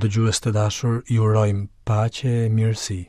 Dëgjues të dashur, ju urojmë paqe e mirësi.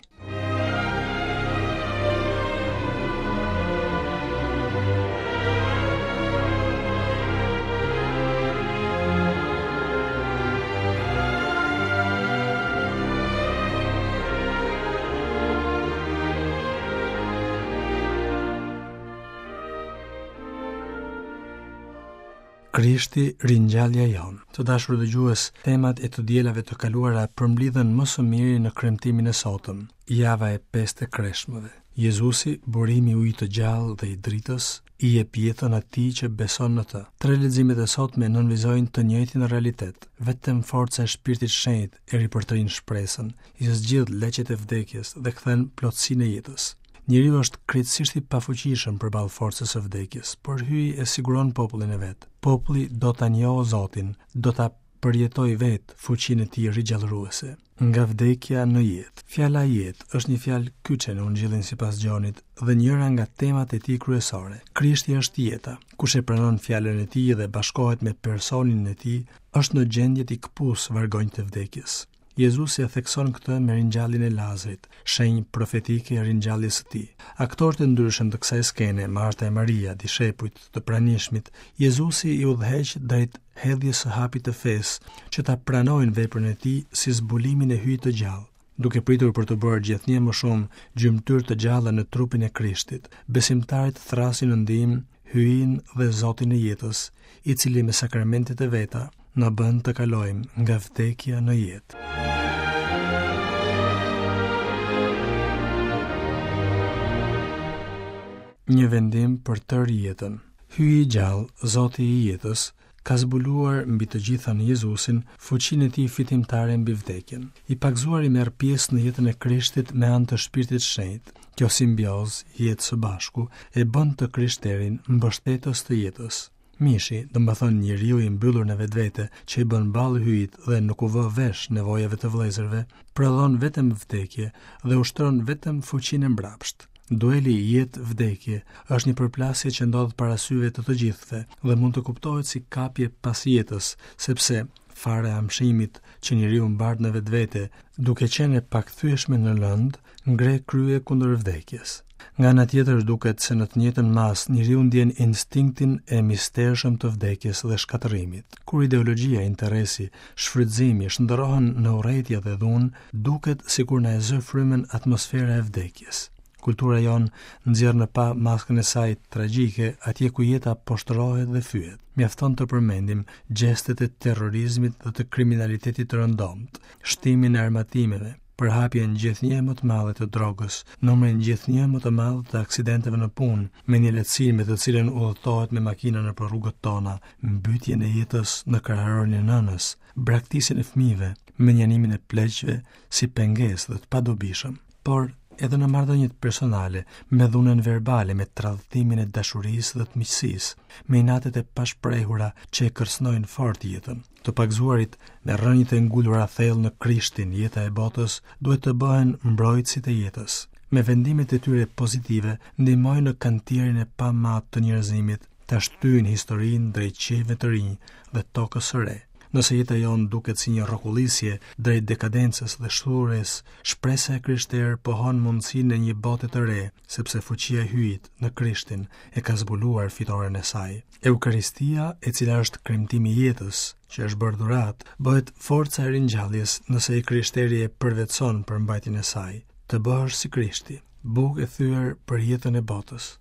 Krishti, ringjallja jonë. Të dashur dëgjues, temat e të dielave të kaluara përmblidhen më së miri në kremtimin e sotëm, java e pestë e kreshmëve. Jezusi, burimi i ujit të gjallë dhe i dritës, i jep jetën atij që beson në të. Tre leximet e sotme nënvizojnë të njëjtin realitet. Vetëm forca e Shpirtit Shenjt e ripërtërin shpresën, i zgjidh leqet e vdekjes dhe kthen plotësinë e jetës. Njeriu është krejtësisht i pafuqishëm përballë forcës së vdekjes, por Hyji e siguron popullin e vet. Populli do ta njohë Zotin, do ta përjetojë vetë fuqinë e tij rigjallëruese. Nga vdekja në jetë. Fjala jetë është një fjalë kyçe në Ungjillin sipas Gjonit dhe njëra nga temat e tij kryesore. Krishti është jeta. Kush e pranon fjalën e tij dhe bashkohet me personin e tij, është në gjendje t'i këpusë vargonjtë e vdekjes. Jezusi e thekson këtë me ringjalljen e Lazrit, shenjë profetike e ringjalljes së tij. Aktorët e ndryshëm të kësaj skene, Marta e Maria, dishepujt, të pranishmit, Jezusi i udhëheq drejt hedhjes së hapit të fesë, që ta pranojnë veprën e tij si zbulimin e Hyjit të gjallë. Duke pritur për t'u bërë gjithnjë më shumë gjymtyrë të gjalla në trupin e Krishtit, besimtarët thërrasin në ndihmë Hyjin dhe Zotin e jetës, i cili me sakramentet e veta na bën të kalojmë nga vdekja në jetë. Një vendim për tërë jetën. Hyji i gjallë, Zoti i jetës, ka zbuluar mbi të gjitha në Jezusin fuqinë e tij fitimtare mbi vdekjen. I pagëzuari merr pjesë në jetën e Krishtit me anë të Shpirtit Shenjt. Kjo simbiozë, jetë së bashku, e bën të krishterin mbështetës të jetës. Mishi, domethënë njeriu i mbyllur në vetvete, që i bën ballë Hyjit dhe nuk u vë vesh nevojave të vëllezërve, prodhon vetëm vdekje dhe ushtron vetëm fuqinë e mbrapshtë. Dueli jetë-vdekje është një përplasje që ndodh para syve të të gjithëve dhe mund të kuptohet si kapje pas jetës, sepse fara e amshimit që njeriu mbart në vetvete, duke qenë e pakthyeshme në lëndë, ngre krye kundër vdekjes. Nga ana tjetër duket se në të njëjtën masë njeriu ndjen instinktin e mistershëm të vdekjes dhe shkatërrimit. Kur ideologjia, interesi, shfrytëzimi shndërrohen në urrejtje dhe dhunë, duket sikur na e zë frymën atmosfera e vdekjes. Kultura jonë nxjerr në pah maskën e saj tragjike atje ku jeta poshtërohet dhe fyhet. Mjafton të përmendim gjestet e terrorizmit dhe të kriminalitetit të rëndomtë, shtimin e armatimeve, përhapjen gjithnjë e më të madhe të drogës, numrin gjithnjë e më të madh të aksidenteve në punë, mendjelehtësinë me të cilën udhëtohet me makina nëpër rrugët tona, mbytjen e jetës në kraharorin e nënës, braktisjen e fëmijëve, mënjanimin e pleqve si pengesë dhe të padobishëm, por edhe në marrëdhëniet personale, me dhunën verbale, me tradhtimin e dashurisë dhe të miqësisë, me inatet e pashprehura që e kërcënojnë fort jetën. Të pagëzuarit me rrënjët e ngulura thellë në Krishtin, jeta e botës, duhet të bëhen mbrojtësit e jetës. Me vendimet e tyre pozitive ndihmojnë në kantierin e pamatë të njerëzimit, ta shtyjnë historinë drejt qiejve të rinj dhe tokës së re. Nëse jeta jonë duket si një rrokullisje drejt dekadencës dhe shthurjes, shpresa e krishterë pohon mundësinë e një bote të re, sepse fuqia e Hyjit në Krishtin e ka zbuluar fitoren e saj. Eukaristia, e cila është kremtimi i jetës, që është bërë dhuratë, bëhet forca e ringjalljes nëse i krishteri e përvetëson përmbajtjen e saj. Të bëhesh si Krishti. Bukë e thyer për jetën e botës.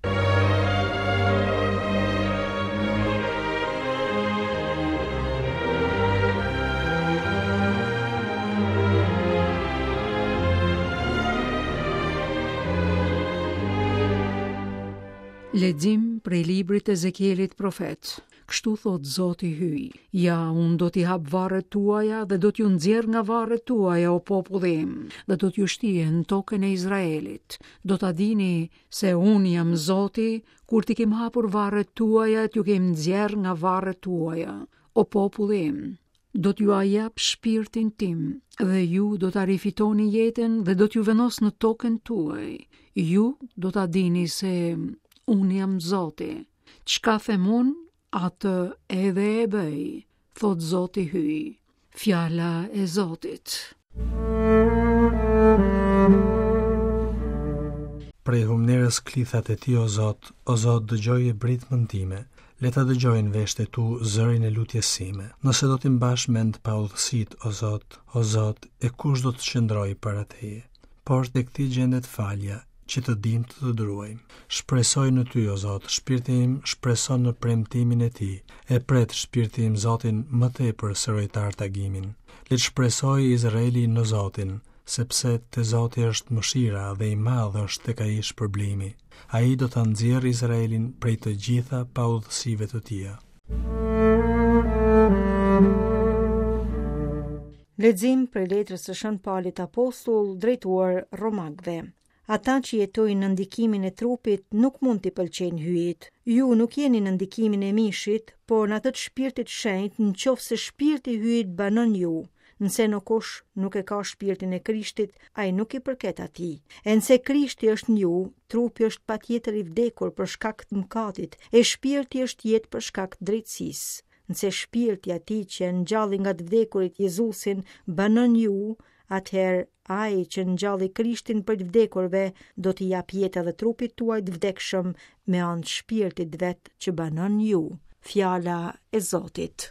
Lexim prej librit të Ezekielit profet. Kështu thotë Zoti Hyj, ja, unë do t'i hap varret tuaja dhe do t'ju nxjerr nga varret tuaja, o populli im, dhe do t'ju shtie në tokën e Izraelit. Do ta dini se unë jam Zoti, kur t'i kem hapur varret tuaja e t'ju kem nxjerrë nga varret tuaja, o populli im. Do t'jua jap shpirtin tim dhe ju do ta rifitoni jetën dhe do t'ju vendos në tokën tuaj. Ju do ta dini se unë jam Zoti. Çka them unë, atë edhe e bëj, thotë Zoti Hyj. Fjala e Zotit. Prej humnerës klithat e tij o Zot, o Zot dëgjoje britmën time, le ta dëgjojnë veshët e tu zërin e lutjes sime. Nëse do t'i mbash mend paudhësitë, o Zot, o Zot, e kush do të qëndrojë para teje? Por tek ti gjendet falja, që të dimë të të druajmë. Shpresoj në ty, o Zot, shpirti im shpreson në premtimin e tij. E pret shpirti im Zotin më tepër se rojtarët agimin. Le të shpresojë Izraeli në Zotin, sepse te Zoti është mëshira dhe i madh është tek ai shpërblimi. Ai do ta nxjerrë Izraelin prej të gjitha paudhësive të tija. Lexim prej letrës së Shën Palit Apostull drejtuar Romakëve. Ata që jetojnë në ndikimin e trupit nuk mund t'i pëlqejnë Hyjit. Ju nuk jeni në ndikimin e mishit, por në atë të Shpirtit Shenjt, në qoftë se Shpirti i Hyjit banon në ju. Nëse ndokush nuk e ka Shpirtin e Krishtit, ai nuk i përket atij. E nëse Krishti është në ju, trupi është patjetër i vdekur për shkak të mëkatit, e shpirti është jetë për shkak të drejtësisë. Nëse shpirti i atij që e ngjalli nga të vdekurit Jezusin banon në ju, atëherë ai që ngjalli Krishtin prej të vdekurve do t'i japë jetë edhe trupit tuaj të vdekshëm me anë të shpirtit të vet që banon në ju. Fjala e Zotit.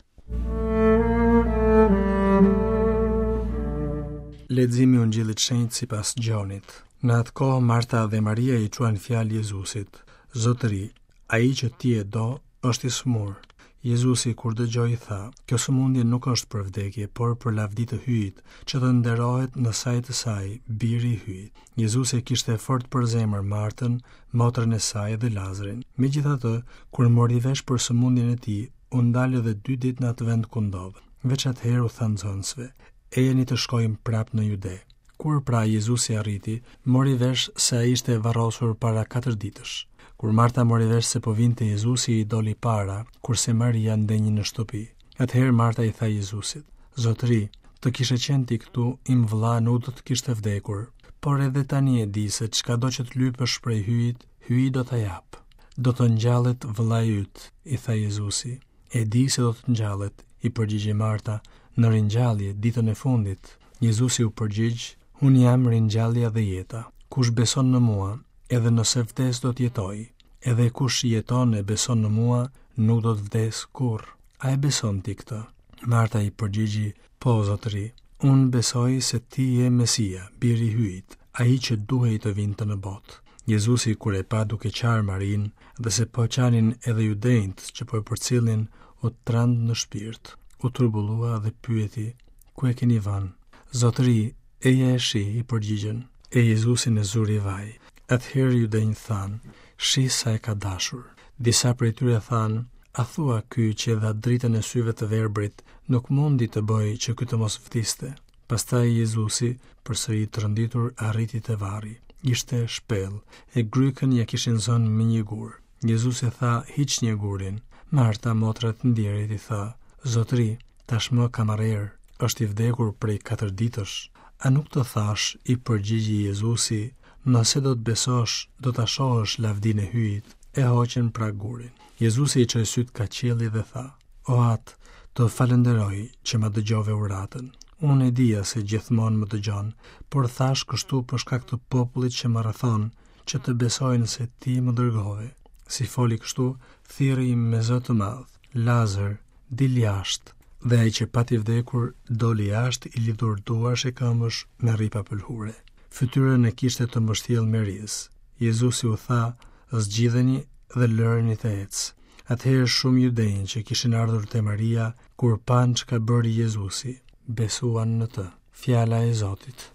Leximi i Ungjillit të Shenjtë sipas Gjonit. Në atë kohë Marta dhe Maria i çuan fjalë Jezusit: Zotëri, Ai që ti e do është i sëmurë. Jezusi kur dëgjoi tha, kjo sëmundje nuk është për vdekje, por për lavdi të Hyjit, që të nderohet në sajë të saj Biri i Hyjit. Jezusi e kishte fort për zemër Martën, motrën e saj dhe Lazrin. Megjithatë, kur mori vesh për sëmundjen e tij, u ndal edhe dy ditë në atë vend ku ndodhej. Veç atëherë u tha nxënësve, Ejani të shkojmë prapë në Jude. Kur pra Jezusi arriti, mori vesh se ai ishte varrosur para katër ditësh. Kur Marta mori vesh se po vinte Jezusi i doli para, kurse Maria ndenji në shtëpi. Atëherë Marta i tha Jezusit: Zotëri, të kishe qenë ti këtu, im vëlla nuk do të kishte vdekur. Por edhe tani e di se çkado që të lypësh prej Hyjit, Hyji do ta japë. Do të ngjallet vëllai yt, i tha Jezusi. E di se do të ngjallet, i përgjigji Marta, në ringjallje, ditën e fundit. Jezusi u përgjigj, Unë jam ringjallja dhe jeta. Kush beson në mua, edhe nëse vdes do të jetojë. Edhe kush jeton e beson në mua, nuk do të vdesë kurrë. A e beson ti këtë? Marta i përgjigji, Po, zotëri, unë besoj se ti je Mesia, biri i Hyjit, ai që duhej të vinte në botë. Jezusi kur e pa duke qarë Marinë dhe se po qanin edhe judenjtë që po e përcillnin, u trand në shpirt, u turbullua dhe pyeti, ku e keni vënë? Zotëri, eja e shih, i përgjigjën. E Jezusin e zuri vaj. Atëherë judenjtë thanë, shih sa e ka dashur. Disa prej tyre thanë, a thua ky që e dha dritën e syve të verbrit, nuk mundi të bëjë që ky të mos vdiste. Pastaj Jezusi, përsëri i tronditur, arriti te varri. Ishte shpellë, e grykën ia kishin zënë me një gur. Jezusi tha, hiqnie gurin. Marta, motra e të ndjerit, i tha, Zotëri, tashmë ka marrë erë, është i vdekur prej katër ditësh. A nuk të thashë, i përgjigji Jezusi, nëse do të besosh, do ta shohësh lavdinë e Hyjit. E hoqën pra gurin. Jezusi i çoi sytë kah qielli dhe tha, O Atë, të falënderoj që ma dëgjove uratën. Unë e dija se gjithmonë më dëgjon, por thashë kështu për shkak të popullit që më rrethon, që të besojnë se ti më dërgove. Si foli kështu, thirri me zë të madh, Lazër, dil jashtë! Dhe ai që pati vdekur, doli jashtë i lidhur duarsh e këmbësh me rripa pëlhure. Fytyrën e kishte të mbështjellë me rizë. Jezusi u tha, zgjidheni dhe lëreni të ecë. Atëherë shumë judenj që kishin ardhur te Maria, kur panë çka bëri Jezusi, besuan në të. Fjala e Zotit.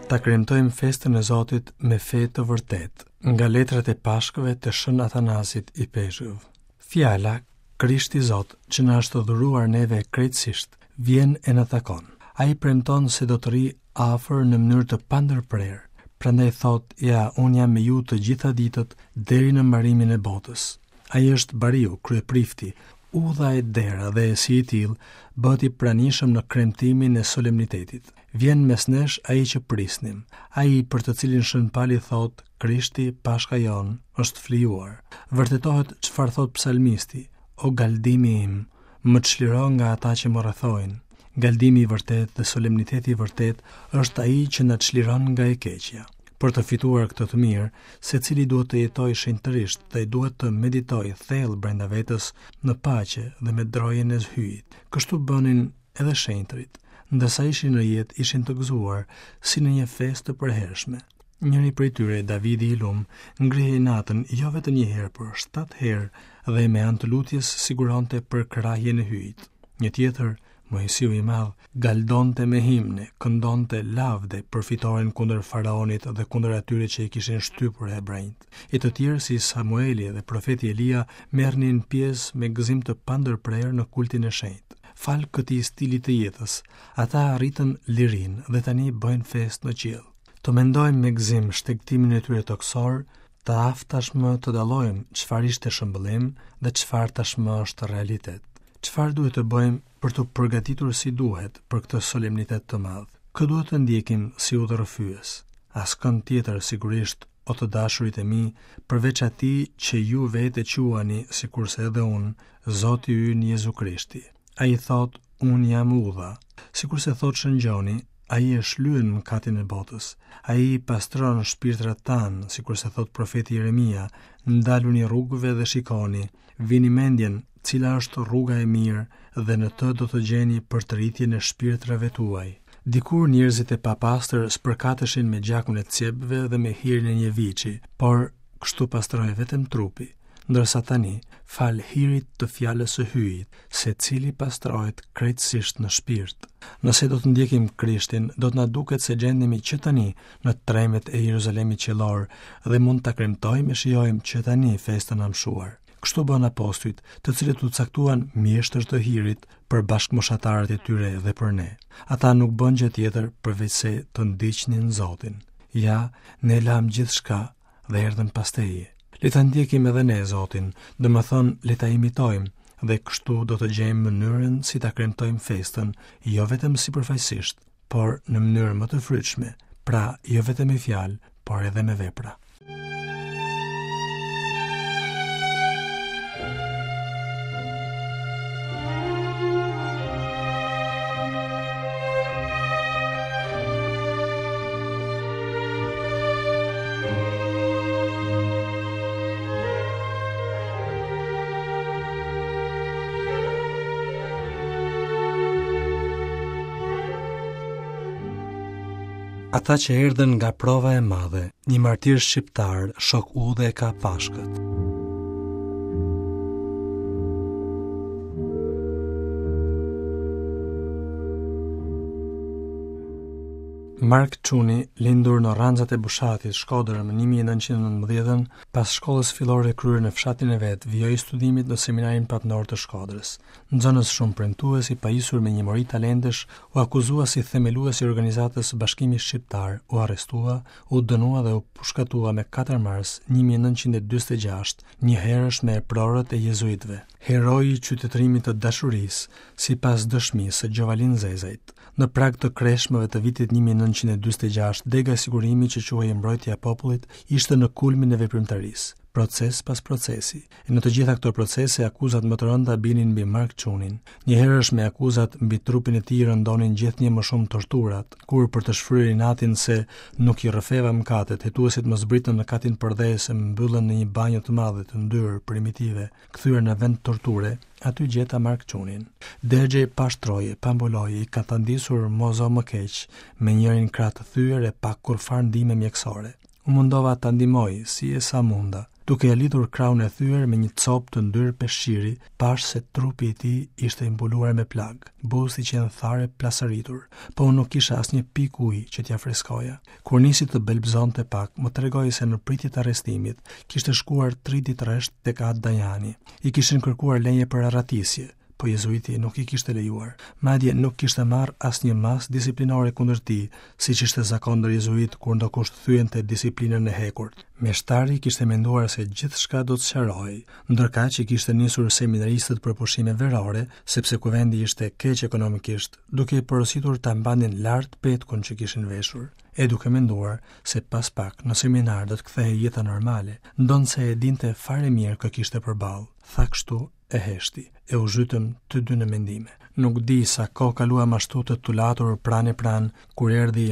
Ta kremtojmë festën e Zotit me fe të vërtetë, nga letrat e Pashkëve të Shën Atanasit Ipeshkëv. Fjala, Krishti Zot, që na është dhuruar neve krejtësisht, vjen e na takon. Ai premton se do të rrijë afër në mënyrë të pandërprerë. Prandaj thotë, ja, unë jam me ju të gjitha ditët deri në mbarimin e botës. Ai është bariu, kryeprifti, udha e dera dhe si i tillë bëhet i pranishëm në kremtimin e solemnitetit. Vjen mes nesh ai që prisnim, ai për të cilin Shën Pali thotë. Krishti, Pashka jonë, është flijuar. Vërtetohet çfarë thotë psalmisti, o galdimi im, më çliro nga ata që më rrethojnë. Galdimi i vërtetë dhe solemniteti i vërtetë është ai që na çliron nga e keqja. Për të fituar këtë të mirë, secili duhet të jetojë shenjtërisht dhe duhet të meditojë thellë brenda vetes në paqe dhe me drojen e Hyjit. Kështu bënin edhe shenjtërit. Ndërsa ishin në jetë, ishin të gëzuar, si në një festë të përhershme. Njëri prej tyre, Davidi i lum, ngrihej natën jo vetëm një herë, por shtatë herë dhe me anë të lutjes siguronte përkrahjen e Hyjit. Një tjetër, Moisiu i madh, galdonte me himne, këndonte lavde për fitoren kundër faraonit dhe kundër atyre që i kishin shtypur hebrenjtë. E të tjerë si Samueli dhe profeti Elia merrnin pjesë me gëzim të pandërprerë në kultin e shenjtë. Falë këtij stili të jetës, ata arritën lirinë dhe tani bëjnë festë në qiell. Të mendojmë me gëzim shtegtimin e tyre tokësor, të aftë tashmë të dallojmë çfarë ishte shëmbëllim dhe çfarë tashmë është realitet. Çfarë duhet të bëjmë për t'u përgatitur si duhet për këtë solemnitet të madh? Kë duhet të ndjekim si udhërrëfyes? Askënd tjetër sigurisht, o të dashurit e mi, përveç atij që ju vetë e quani, sikurse edhe unë, Zoti ynë Jezu Krishti. Ai thotë, unë jam udha. Sikurse thotë Shën Gjoni, ai e shlyen mëkatin e botës. Ai i pastron shpirtrat tanë, sikurse thotë profeti Jeremia, ndaluni rrugëve dhe shikoni, vini mendjen cila është rruga e mirë dhe në të do të gjeni përtëritjen e shpirtrave tuaj. Dikur njerëzit e papastër spërkateshin me gjakun e cjepve dhe me hirin e një viçi, por kështu pastrohej vetëm trupi, ndërsa tani, falë hirit të fjalës së Hyjit, secili pastrohet krejtësisht në shpirt. Nëse do të ndjekim Krishtin, do të na duket se gjendemi që tani në tremet e Jeruzalemit qiellor dhe mund ta kremtojmë e shijojmë që tani festën e amshuar. Kështu bënë apostujt, të cilët u caktuan mjeshtër të hirit për bashkëmoshatarët e tyre dhe për ne. Ata nuk bënë gjë tjetër përveçse të ndiqnin Zotin. Ja, ne lamë gjithçka dhe erdhëm pas teje. Le ta ndjekim edhe ne Zotin, domethënë le ta imitojmë dhe kështu do të gjejmë mënyrën si ta kremtojmë festën, jo vetëm sipërfaqësisht, por në mënyrë më të frytshme, pra jo vetëm me fjalë, por edhe me vepra. Ata që erdhën nga prova e madhe, një martir shqiptar, shok udhe e ka Pashkët. Mark Çuni, lindur në Rranxat e Bushatit, Shkodër, më 1919-ën, pas shkollës fillore kryer në fshatin e vet, vijoi studimet në Seminarin Papnor të Shkodrës. Nxënës shumë premtues, i pajisur me një mori talentesh, u akuzua si themelues i organizatës Bashkimi Shqiptar, u arrestua, u dënua dhe u pushkatua me 4 mars 1946, njëherësh me eprorët e jezuitëve. Heroi i qytetërimit të dashurisë, sipas dëshmisë së Gjovalin Zezajt. Në prag të kreshmëve të vitit 1946, dega e sigurimit që quhej Mbrojtja e Popullit ishte në kulmin e veprimtarisë, proces pas procesi. E në të gjitha këto procese akuzat më të rënda binin mbi Mark Çunin. Njëherësh me akuzat mbi trupin e tij rëndonin gjithnjë më shumë torturat, kur për të shfryrë inatin se nuk i rrëfeva mëkatet, hetuesit më zbritën në katin përdhes e më mbyllën në një banjo të madhe të ndyrë primitive. Kthyer në vend torture, aty gjeta Mark Çunin. Dergjej pa shtroje, pa mbuloje, i katandisur mo zo më keq, me njërin krah të thyer e pa kurrfarë ndihme mjekësore. U mundova ta ndihmoj, si e sa munda. Duke ia lidhur krahun e thyer me një copë të ndyrë peshqiri, pashë se trupi i tij ishte i mbuluar me plagë, buzët i qenë tharë e plasaritur, po unë nuk kisha asnjë pikë ujë që t'ia freskoja. Kur nisi të belbëzonte pak, më tregoi se në pritje të arrestimit, kishte shkuar tri ditë rresht tek At Dajani. I kishin kërkuar leje për arratisje, po jezuiti nuk i kishte lejuar. Madje nuk kishte marrë asnjë masë disiplinore kundër tij, siç ishte zakon ndër jezuitë kur ndokush thyente disiplinën e hekurt. Meshtari kishte menduar se gjithçka do të sqarohej, ndërkaq i kishte nisur seminaristët për pushime verore, sepse kuvendi ishte keq ekonomikisht, duke i porositur ta mbanin lart petkun që kishin veshur. e duke menduar se pas pak në seminar do të kthehej jeta normale, ndonëse e dinte fare mirë kë kishte përballë. Tha kështu e heshti, e u zhytëm të dy në mendime. Nuk di sa kohë kaluam ashtu të tulatur pranë e pranë, kur erdhi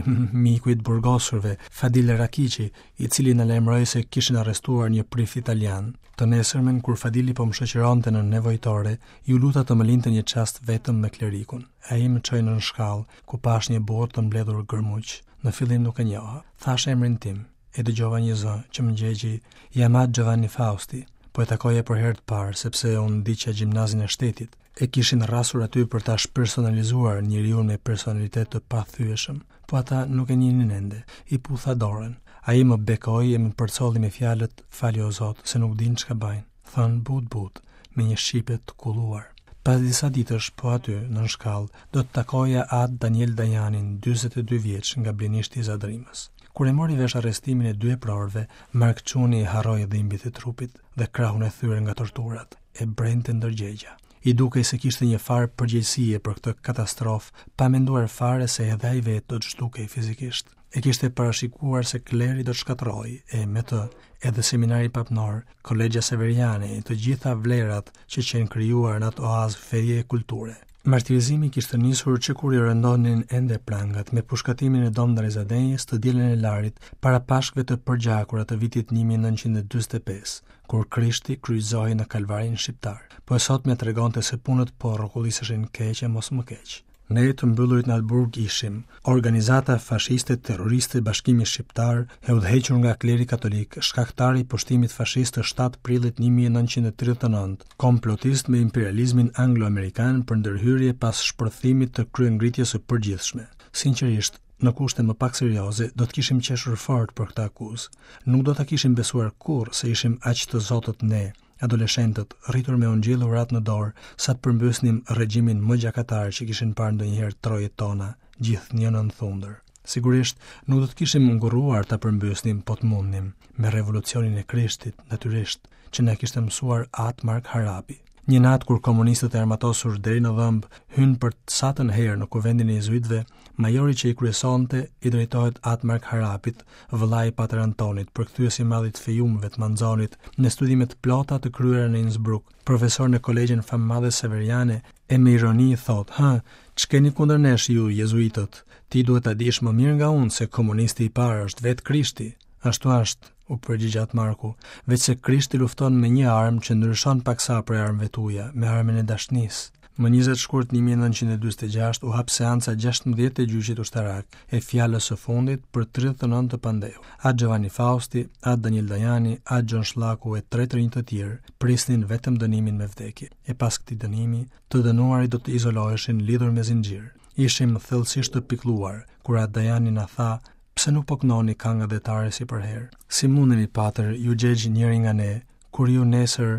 miku i të burgosurve, Fadil Rakiqi, i cili na lajmëroi se kishin arrestuar një prift italian. Të nesërmen, kur Fadili po më shoqëronte në nevojtore, iu luta të më linte një çast vetëm me klerikun. Ai më çoi nën shkallë, ku pashë një burrë të mbledhur gërmuq. Në fillim nuk e njoha. Thashë emrin tim. E dëgjova një zë që më gjegji, jam At Giovanni Fausti. Po e takoja për herë të parë, sepse unë ndiqja gjimnazin e shtetit. E kishin rrasur aty për ta shpersonalizuar njeriun me personalitet të pathyeshëm. Po ata nuk e njihnin ende. I putha dorën. Ai më bekoi e më përcolli me fjalët, fali o Zot, se nuk dinë çka bajnë. Thënë butë-butë, me një shqipe të kulluar. Pas disa ditësh, po aty, nën shkallë, do të takoja At Daniel Dajanin, 42 vjeç, nga Blinishti i Zadrimës. Kur e mori vesh arrestimin e dy eprorëve, Mark Çuni harroi dhimbjet e trupit dhe krahun e thyer nga torturat, e brente ndërgjegja. I dukej se kishte një farë përgjegjësie për këtë katastrofë, pa menduar fare se edhe ai vetë do të zhdukej fizikisht. E kishte parashikuar se kleri do të shkatërrohej, e me të edhe seminari papnor, kolegja severiane e të gjitha vlerat që qenë krijuar në atë oazë feje e kulture. Martirizimi kishte nisur që kur i rëndonin ende prangat me pushkatimin e Dom Ndre Zadenjës të dielën e Larit para Pashkëve të përgjakura të vitit 1945, kur Krishti kryqëzohej në Kalvarin shqiptar. Po e sotmja tregonte se punët po rrokulliseshin keq e mos më keq. Ne të mbyllurit në atë burg ishim organizata fashiste terroriste Bashkimi Shqiptar, e udhëhequr nga kleri katolik, shkaktar i pushtimit fashist të 7 prillit 1939, komplotist me imperializmin anglo-amerikan për ndërhyrje pas shpërthimit të kryengritjes së përgjithshme. Sinqerisht, në kushte më pak serioze, do të kishim qeshur fort për këtë akuzë. Nuk do ta kishim besuar kurrë se ishim aq të zotët ne, adoleshentët, rritur me ungjill e uratë në dorë, sa të përmbysnim regjimin më gjakatar që kishin parë ndonjëherë trojet tona, gjithnjë nën thundër. Sigurisht, nuk do të kishim ngurruar ta përmbysnim po të mundnim, me revolucionin e Krishtit, natyrisht, që na kishte mësuar At Mark Harapi. Një natë kur komunistët e armatosur deri në dhëmbë hynë për të satën herë në kuvendin e jezuitëve, majori që i kryesonte i drejtohet At Mark Harapit, vëllai i Pater Antonit, përkthyes i madh i të Fejumëve të Manzonit, me studime të plota të kryera në Innsbruck, profesor në kolegjen famëmadhe Severiane, e me ironi i thotë, hë, ç'keni kundër nesh ju, jezuitët, ti duhet ta dish më mirë nga unë se komunisti i parë është vetë Krishti. Ashtu është, u përgjigj At Marku, veçse Krishti lufton me një armë që ndryshon paksa prej armëve tuaja, me armën e dashnisë. Më 20 shkurt 1946 u hap seanca 16 e gjyqit ushtarak, e fjalës së fundit për 39 të pandehur. At Giovanni Fausti, At Daniel Dajani, At Gjon Shllaku e tre të rinj të tjerë prisnin vetëm dënimin me vdekje. E pas këtij dënimi, të dënuarit do të izoloheshin lidhur me zinxhir. Ishim thellësisht të pikëlluar kur At Dajani na tha Pse nuk po këndoni kangë atdhetare si përherë? Si mundemi, patër, iu gjegj njëri nga ne, kur ju nesër,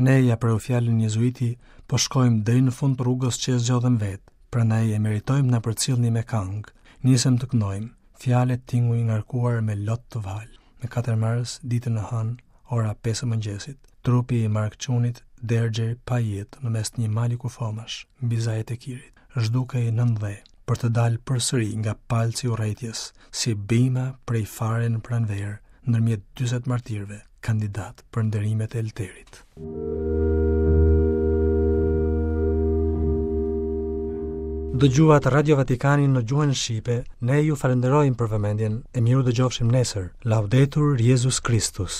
ne ia preu fjalën jezuiti, po shkojmë deri në fund të rrugës që e zgjodhëm vetë, prandaj e meritojmë na përcillni me kangë. Nisëm të këndojmë, fjalë e tinguj ngarkuar me lot të valë. Më 4 mars, ditën e hënë, ora 5 e mëngjesit, trupi i Mark Çunit dergjej pa jetë në mes të një mali kufomash, mbi zajet e Kirit. Zhdukej nën dhe, për të dalë përsëri nga palci i urrejtjes, si bima prej fare në pranverë, ndërmjet 40 martirëve, kandidatë për nderimet e Elterit. Dëgjuat Radio Vatikanin në gjuhën shqipe, ne ju falënderojmë për vëmendjen e mirudëgjofshim nesër. Laudetur Jezus Christus.